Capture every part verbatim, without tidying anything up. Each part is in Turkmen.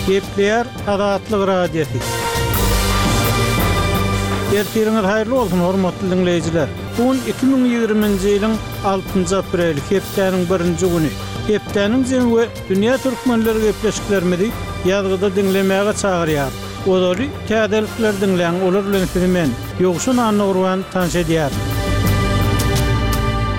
Gepleýär Azatlyk Radiosy. Ertiriňiz haýyrly bolsun, hormatly diňleýjiler. Bu gün iki müň ýigriminji ýylyň altynjy apreli, hepdäniň birinji güni. Hepdäniň jemi we dünýä türkmenleri gepleşiklerimizi ýazgyda diňlemäge çagyrýar. Ozaly täzelikleri diňläň, olar bilen sizi men, Ýowşan Annagurban tanyş edýärin.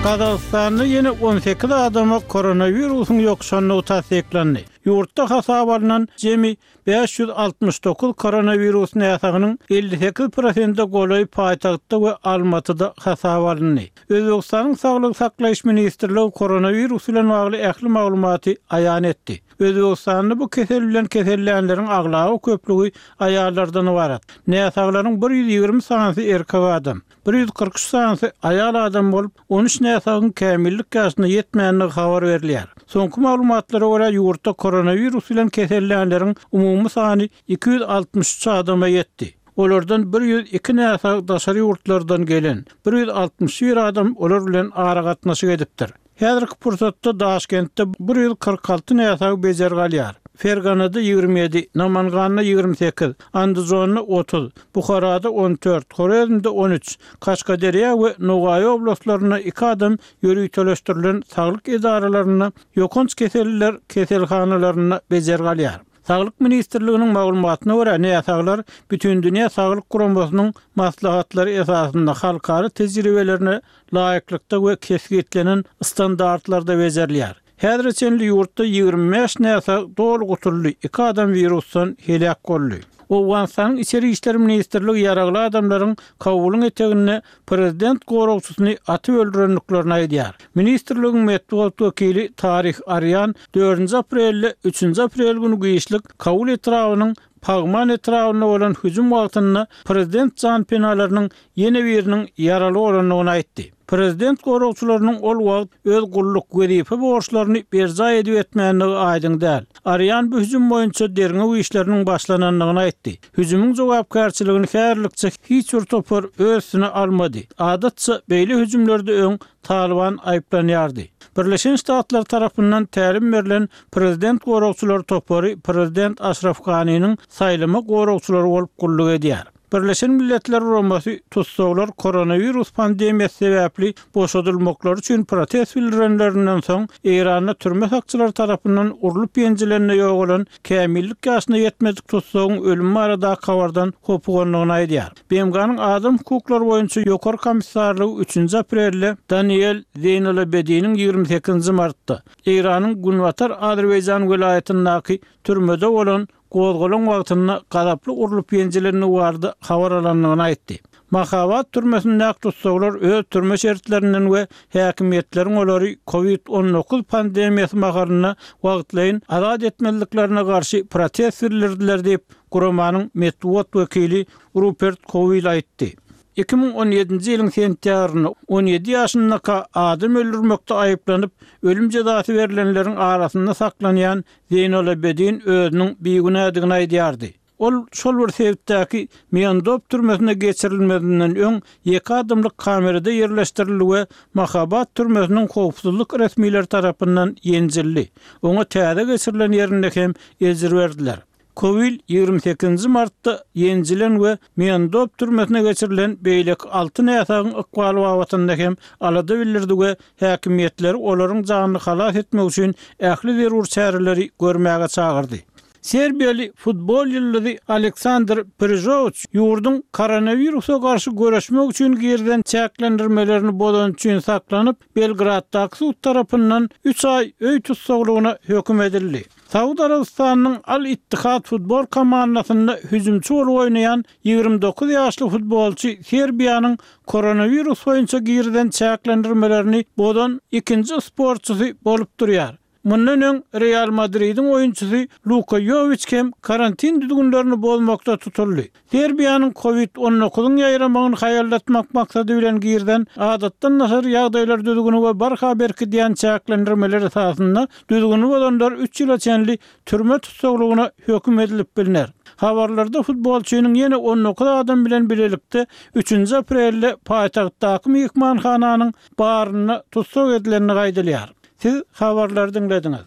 Gazagystanda ýene on sekiz adama koronawirusyň ýokuşandygy tassyklandy. Ýurtda hasaba alnan jemi bäş ýüz altmyş dokuz koronawirus näsagynyň elli sekiz prosente golaýy paýtagtda we Almatyda hasaba alyndy. Özbegistanyň Saglygy saklaýyş ministrligi koronawirus bilen bagly ähli maglumaty aýan etdi. Özbegistanda bu kesel bilen kesellänleriň aglaba köplügi aýallardan ybarat. Näsaglaryň bir ýüz ýigrimi sanysy erkek adam, bir ýüz kyrk üç sanysy aýal adam bolup, on üç näsagyň kämillik ýaşyna ýetmändigi habar berilýär. Soňky maglumatlara görä ýurtda koronawirus bilen kesellänleriň umumy sany iki ýüz altmyş üç adama ýetdi. Olardan bir ýüz iki näsag daşary ýurtlardan gelen, bir ýüz altmyş bir adam olar bilen aragatnaşyk edipdir. Häzirki pursatda Daşkentde bir ýüz kyrk alty näsag bejergi alýar. Ferganada ýigrimi ýedi, Namanganda ýigrimi sekiz, Andijonda otuz, Buharada on dört, Horezmde on üç, Kaşgaderýa we Nogaý oblastlarynda iki adam ýöriteleşdirilen saglyk edaralarynda ýokanç keselliler keselhanalarynda bejergi alýar. Saglyk ministrliginiň maglumatyna görä, näsaglar Bütindünýä Saglyk Guramasynyň maslahatlary esasynda halkara tejribelerine laýyklykda we kesgitlenen standartlarda bejerilýär. Häzire çenli ýurtda ýigrimi bäş näsag doly gutuldy, iki adam wirusdan heläk boldy. Owganystanyň Içeri işler ministrligi ýaragly adamlaryň Kabulyň eteginde prezident goragçysyny atyp öldürendiklerini aýdýar. Ministrligiň metbugat wekili Tarih Arýan dördünji aprelde üçünji aprel güni giçlik Kabul etrabynyň Pagman etrabynda bolan hüjüm wagtynda prezident janpenalarynyň ýene biriniň ýaraly bolandygyny aýtdy. Prezident goragçylarynyň ol wagt öz gulluk wezipe borçlaryny berjaý edip etmändigi aýdyň däl. Arýan bu hüjüm boýunça derňew işleriniň başlanandygyny aýtdy. Hüjümiň jogapkärçiligini häzirlikçe hiç bir topar öz üstüne almady. Adatça beýle hüjümlerde öň Taliban aýyplanýardy. Birleşen Ştatlar tarapyndan tälim berlen prezident goragçylary topary prezident Aşraf Ganiniň saýlama goragçylary bolup gulluk edýär. Birleşen Milletler Guramasy tussaglar koronawirus pandemiýasy sebäpli boşadylmaklary üçin protest bildirenlerinden soň Eýranda türme sakçylary tarapyndan urlup ýenjilende ýogalan kämillik ýaşyna ýetmedik tussagyň ölümi baradaky habardan hopugandygyny aýdýar. B M G-nyň adam hukuklary boýunça ýokary komissarlygy üçünji aprelde Daniel Zeynalabediniň ýigrimi sekizinji martda Eýranyň Günbatar Azerbaýjan welaýatyndaky türmede bolan gozgalaň wagtynda gazaply urlup ýenjilendigi barada habar alandygyny aýtdy. Mahabat türmesindäki tussaglar öz türme şertlerinden we häkimiýetleriň olary kovid on dokuz pandemiýasy mahalynda wagtlaýyn azat etmezliklerine garşy protest bildirdiler diýip, guramanyň metbugat wekili Rupert Kowil aýtdy. Iki müň on ýedinji ýylyň sentýabrynda on ýedi ýaşyndaka adam öldürmekde aýyplanyp, ölüm jezasy berilenleriň arasynda saklanýan Zeynalabedin özüniň bigünädigini aýdýardy. Ol şol bir sebitdäki Miandop türmesine geçirilmezinden öň ýeke adamlyk kamerada ýerleşdirildi we Mahabat türmesiniň howpsuzlyk resmileri tarapyndan ýenjildi. Oňa täze geçirilen ýerinde hem ejir berdiler. Kowil ýigrimi sekizinji martda ýenjilen we Miandop türmesine geçirilen beýleki alty näsagyň ykbaly babatynda hem alada bildirdi we häkimiýetleri olaryň janyny halas etmek üçin ähli zerur çäreleri görmäge çagyrdy. Serbiýaly futbol ýyldyzy Aleksandr Prižowiç ýurduň koronawirusa garşy göreşmek üçin girilen çäklendirmelerini bozan üçin saklanyp, Belgraddaky sud tarapyndan üç aý öý tussaglygyna höküm edildi. Saud Arabystanynyň Al-Ittihad futbol komandasynda hüjümçi bolup oýnaýan ýigrimi dokuz ýaşly futbolçy Serbiýanyň koronawirus boýunça girilen çäklendirmelerini bozan ikinji sportçysy bolup durýar. Mundan öň Real Madridiň oýunçysy Luka Jowiç hem karantin düzgünlerini bozmakda tutuldy. Serbiýanyň kovid on dokuzyň ýaýramagyny haýallatmak maksady bilen girilen adatdan daşary ýagdaýlar düzgüni we barha berkidýän çäklendirmeler esasynda düzgüni bozanlar üç ýyla çenli türme tussaglygyna höküm edilip biliner. Habarlarda futbolçynyň ýene on dokuz adam bilen bilelikde üçünji aprelde paýtagtdaky myhmanhananyň barynda tussag edilendigi aýdylýar. Siz habarlary diňlediňiz.